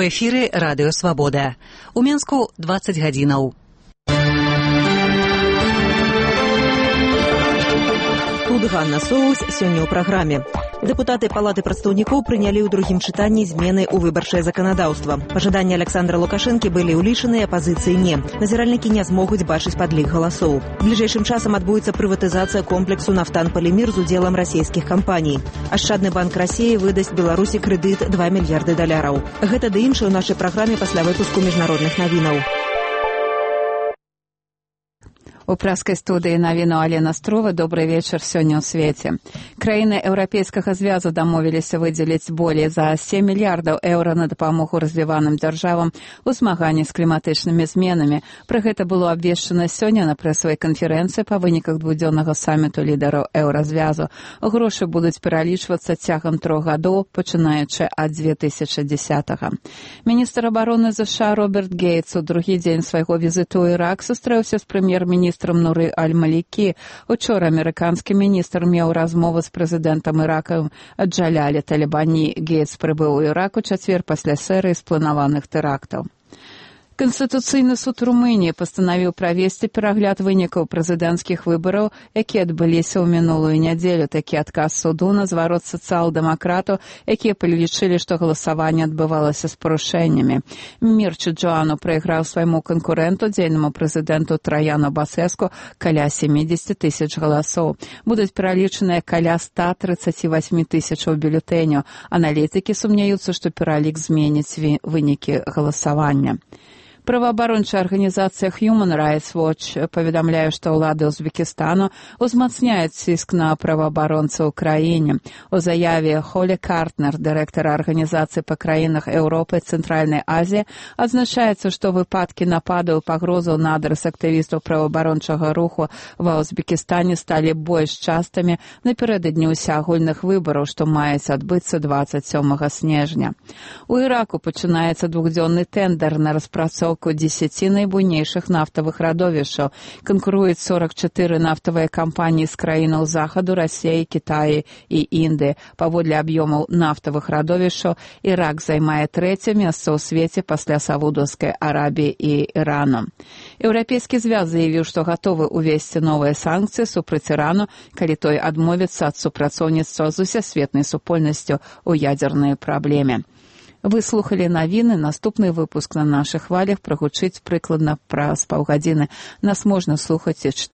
У эфіры радыё Свабода. У Менску 20 гадзінаў. Тут Ганна Соус сёння ў праграме. Дэпутаты Палаты прадстаўнікоў прынялі ў другім чытанні змены ў выбарчае заканадаўства. Пажаданні Александра Лукашэнкі былі ўлічаны, апазіцыі не. Назіральнікі не змогуць бачыць падлік галасоў. Бліжэйшым часам адбудзецца прыватызацыя комплексу «Нафтан-Полимир» з удзелам расійскіх кампаній. Ашчадны банк Расіі выдасць Беларусі крэдыт $2 мільярды. Гэта ды іншае ў нашай праграме пасля выпуску міжнародных навінаў. У праскай студыі навіну Алена Строва. Добрый вечар сёння ў свеце. Краіны Еўрапейскага звязу дамовіліся выдзеліць болей за 7 мільярдаў еўра на дапамогу развіваным дзяржавам у змаганні з кліматычнымі зменамі. Пра гэта было абвешчана сёння на прэсавай канферэнцыі па выніках двухдзённага саміту лідараў еўразвязу. Грошы будуць пералічвацца цягам 3 гадоў, пачынаючы ад 2010-го. Міністр абароны США Роберт Гейтс у другі дзень свайго візіту ў Ірак сустрэўся з прэм'ер-міністрам Нуры Аль-Малікі. Учора амерыканскі міністр меў размову з прэзідэнтам Ірака Джалялі Талібані. Гейтс прыбыў у Ірак у чацвер пасля серыі спланаваных тэрактаў. Канстытуцыйны суд Румыніі пастанавіў правесці перагляд вынікаў прэзідэнцкіх выбараў, якія адбыліся ў мінулую нядзелю. Такі адказ суду на зварот сацыял-дэмакратаў, якія палічылі, што галасаванне адбывалася з парушэннямі. Мірча Джоану прайграў свайму канкурэнту, дзейнаму прэзідэнту Траяну Басэску, каля 70 тысяч галасоў. Будуць пералічаныя каля 138 тысячаў бюлетэняў. Аналітыкі сумняюцца, што пералік зменіць вынікі галасавання. Праваабарончая арганізацыя Human Rights Watch паведамляе, што ўлады Узбекістану узмацняюць ціск на праваабаронцаў у краіне. У заяве Холі Картнер, дырэктара арганізацыі па краінах Еўропы і Цэнтральнай Азіі, адзначаецца, што выпадкі нападаў і пагрозаў на адрас актывістаў праваабарончага руху ва Узбекістане сталі больш частымі напярэдадні ўсеагульных выбараў, што маюць адбыцца 27 снежня. У Іраку пачынаецца двухдзённы тэндэр на распрацоўку 10 найбуйнейшых нафтавых радовішаў. Канкуруюць 44 нафтавыя кампаніі з краінаў захаду, Расіі, Кітаі і Індыі. Паводле аб'ёмаў нафтавых радовішаў Ірак займае 3-е месца ў свеце пасля Саудаўскай Арабіі і Ірану. Еўрапейскі звяз заявіў, што гатовы ўвесці новыя санкцыі супраць Ірану, калі той адмовіцца ад супрацоўніцтва з усесветнай супольнасцю ў ядзернай праблеме. Вы слухали навіны. Наступны выпуск на нашых хвалях прагучыць прыкладна праз паўгадзіны. Нас можна слухаць